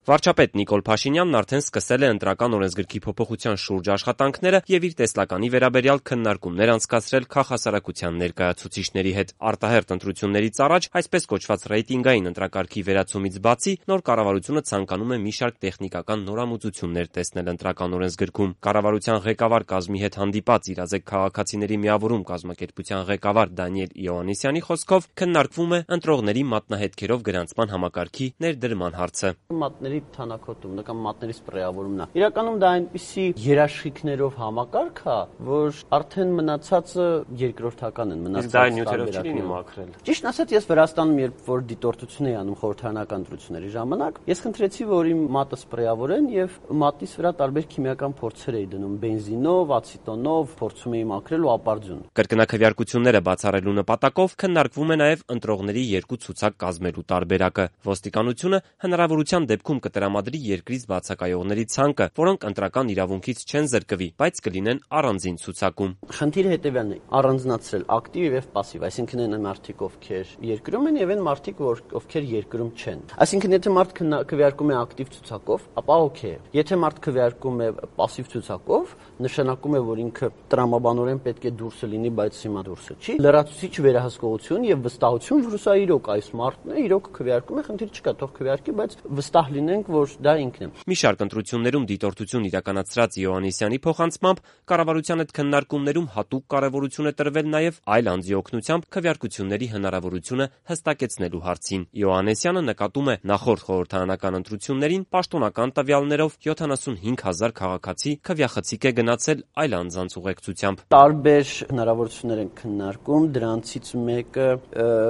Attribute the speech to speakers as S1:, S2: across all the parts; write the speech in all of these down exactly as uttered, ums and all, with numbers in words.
S1: Վարչապետ Նիկոլ Փաշինյանն արդեն սկսել է ընտրական օրենսգրքի փոփոխության շուրջ աշխատանքները եւ իր տեսլականի վերաբերյալ քննարկումներ անցկացրել քաղաքասարակության ներկայացուցիչների հետ։ Արտահերթ ընտրություններից առաջ այսպես կոչված ռեյտինգային ընտրակարգի վերացումից բացի նոր կառավարությունը ցանկանում է մի շարք տեխնիկական նորամուծություններ տեսնել ընտրական օրենսգրքում։ Կառավարության ղեկավար կազմի հետ հանդիպած իրազեկ քաղաքացիների միավորում կազմակերպության ղեկավար Դանիել Իոաննիսյանի խոսքով քննարկվում է ընտրողների մատնահետքերով գրանցման համակարգի ներդրման հարցը։
S2: Մատների թանաքոտումն կամ մատների սպրեավորումն է։ Իրականում դա այնպիսի երաշխիքներով համակարգ է, որ արդեն մնացածը երկրորդական են,
S1: մնացածը նյութերով չի լինի մաքրել։
S2: Ճիշտ ասած, ես Վրաստանում երբ որ դիտորդություն էի անում խորհրդարանական ընտրությունների ժամանակ, ես խնդրեցի, որ իմ մատը սպրեավորեն եւ մատից վրա տարբեր քիմիական փորձեր էի դնում՝ բենզինով, ացետոնով, փորձում էի մաքրել ու ապարդյուն։
S1: Կրկնակվյարկությունները բացառելու նպատակով քննարկվում է նաեւ ընտրողների երկու ցուցակ կազմելու տարբերակը։ Ոստիկանությունը հնարավորության դեպքում կտրամադրի երկրից բացակայողների ցանկը, որոնք ընտրական իրավունքից չեն զրկվի, բայց կլինեն առանձին ցուցակում։
S2: Խնդիրը հետևյալն է՝ առանձնացրել ակտիվ եւ պասիվ, այսինքն այն մարդիկ, ովքեր երկրում են եւ այն մարդիկ, ովքեր երկրում չեն։ Այսինքն եթե մարդ քվեարկում է ակտիվ ցուցակով, ապա օքեյ է։ Եթե մարդ քվեարկում է պասիվ ցուցակով, նշանակում է, որ ինքը տրամաբանորեն պետք է դուրսը լինի, բայց հիմա դուրսը չի։ Լրացուցիչ վերահսկողություն եւ վստահություն, որ սա իրոք այս մարդն է, իրոք քվեարկում է, խնդիր չկա, թող քվեարկի, բայց վստահ լինենք, որ դա ինքն է։
S1: Մի շարք ընտրություններում դիտորդություն իրականացրած Իոաննիսյանի փոխանցմամբ կառավարության հետ քննարկումներում հատուկ կարևորություն է տրվել նաեւ այլ անձի օգնությամբ քվեարկությունների հնարավորությունը հստակեցնելու հարցին։ Իոաննիսյանը նկատում է նախորդ խորհրդարանական ընտրություններին պաշտոնական տվյալներով յոթանասունհինգ հազար քաղաքացի քվեախցիկ է գնացել այլ անձանց ուղեկցությամբ։
S2: Տարբեր հնարավորություններ են քննարկում, դրանցից մեկը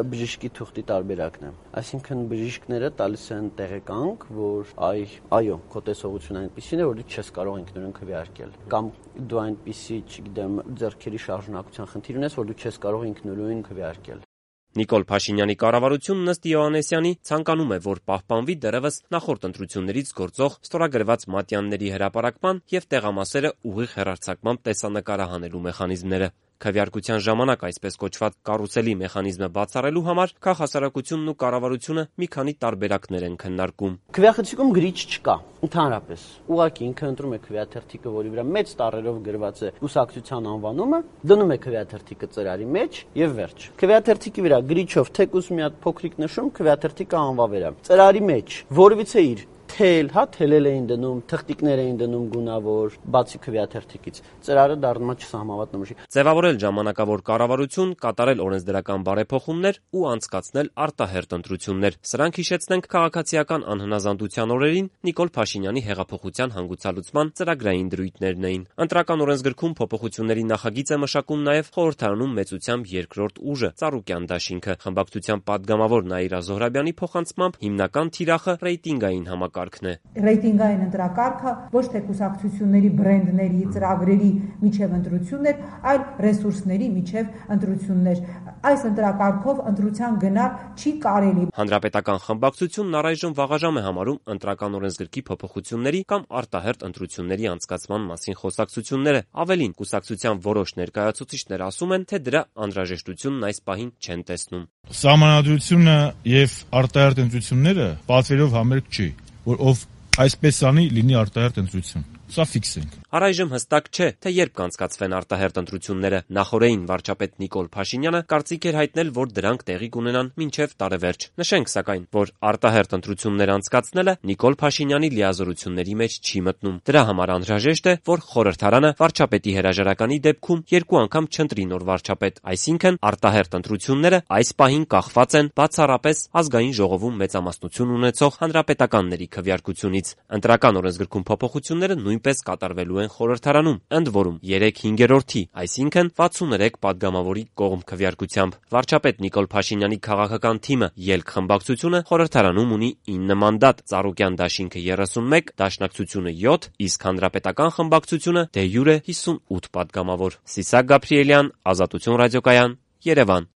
S2: բժշկի թուղթի տարբերակն է։ Այսինքն բժիշկները տալիս են տեղեկանք, որ այ այո, քո տեսողությունը այնպեսին է, որ դու չես կարող ինքնուրույն քվեարկել, կամ դու այնպեսի, չգիտեմ, ձեռքերի շարժունակության խնդիր ունես, որ դու չես կարող ինքնուրույն քվեարկել։
S1: Նիկոլ Փաշինյանի կառավարությունն ըստ Իոաննիսյանի ցանկանում է, որ պահպանվի դեռևս նախորդ ընտրություններից գործող ստորագրված մատյանների հրապարակման եւ տեղամասերը ուղիղ հեռարձակման տեսանկարահանելու մեխանիզմները։ Քվեարկության ժամանակ այսպես կոչված կարուսելի մեխանիզմը բացառելու համար քաղաքասարակությունն ու կառավարությունը մի քանի տարբերակներ են քննարկում։
S2: Քվեախցիկում գրիչ չկա, ընդհանրապես։ Ուղղակի ինքը ընտրում է քվեաթերթիկը, որի վրա մեծ տառերով գրված է կուսակցության անվանումը, դնում է քվեաթերթիկը ծրարի մեջ եւ վերջ։ Քվեաթերթիկի վրա գրիչով թեկուզ մի հատ փոքրիկ նշում, քվեաթերթիկը անվավեր է։ Ծրարի մեջ որևիցե իր թել, հա, թելել էին դնում, թղթիկներ էին դնում գունավոր, բացի քվեաթերթիկից։ Ծրարը դառնում է չսահմանված նմուշի։
S1: Ձևավորել ժամանակավոր կառավարություն, կատարել օրենսդրական բարեփոխումներ ու անցկացնել արտահերթ ընտրություններ։ Սրանք, հիշեցնենք, քաղաքացիական անհնազանդության օրերին Նիկոլ Փաշինյանի հեղափոխության հանգուցալուծման ծրագրային դրույթներն էին։ Ընտրական օրենսգրքում փոփոխությունների նախագիծ է մշակում նաև խորհրդարանում մեծությամբ երկրորդ ուժը՝ Ծառուկյան դաշինքը։ Խմբակցության падգամավոր Նաիրա Զոհրաբյանի փոխանցմամբ հիմնական թիրախը ռեյտինգային համակարգ
S3: Ռեյտինգային ընտրակարգը ոչ թե կուսակցությունների բրենդների, ծրագրերի միջև ընտրություններ, այլ ռեսուրսների միջև ընտրություններ։ Այս ընտրակարգով ընտրության գնալ չի կարելի։
S1: Հանրապետական խմբակցությունն առայժմ վաղաժամ է համարում ընտրական օրենսգրքի փոփոխությունների կամ արտահերթ ընտրությունների անցկացման մասին խոսակցությունները։ Ավելին, կուսակցության որոշ ներկայացուցիչներ ասում են, թե դրա անհրաժեշտությունն այս պահին չեն տեսնում։
S4: Սահմանադրությունը եւ արտահերթ ընտրությունները պատվերով համերգ չի, որ ով այսպես անի, լինի արտահերթ ընտրություն։ Սա ֆիքս ենք։
S1: Առայժմ հստակ չէ, թե երբ կանցկացվեն արտահերթ ընտրությունները։ Նախորդին վարչապետ Նիկոլ Փաշինյանը կարծիք էր հայտնել, որ դրանք տեղի կունենան մինչև տարեվերջ։ Նշենք սակայն, որ արտահերթ ընտրություններ անցկացնելը Նիկոլ Փաշինյանի լիազորությունների մեջ չի մտնում։ Դրա համար անհրաժեշտ է, որ խորհրդարանը վարչապետի հրաժարականի դեպքում երկու անգամ չընտրի նոր վարչապետ, այսինքն արտահերթ ընտրությունները այս պահին կախված են բացառապես ազգային ժողովում մեծամասնություն ունեցող հանրապետականների քվեարկությունից։ Ընտրական օրենսգրքում փոփոխությունները նույնպես կատարվելու են խորհրդարանում, ընդ որում երեք հինգերորդի, այսինքն վաթսուներեք падգամավորի կողմ քվեարկությամբ։ Վարչապետ Նիկոլ Փաշինյանի քաղաքական թիմը Ելք խմբակցությունը խորհրդարանում ունի ինը մանդատ, Ծառուկյան դաշինքը երեսունմեկ, Դաշնակցությունը յոթ, իսկ Հանրապետական խմբակցությունը դե յուրե հիսունութ падգամավոր։ Սիսակ Գաբրիելյան, Ազատություն ռադիոկայան, Երևան։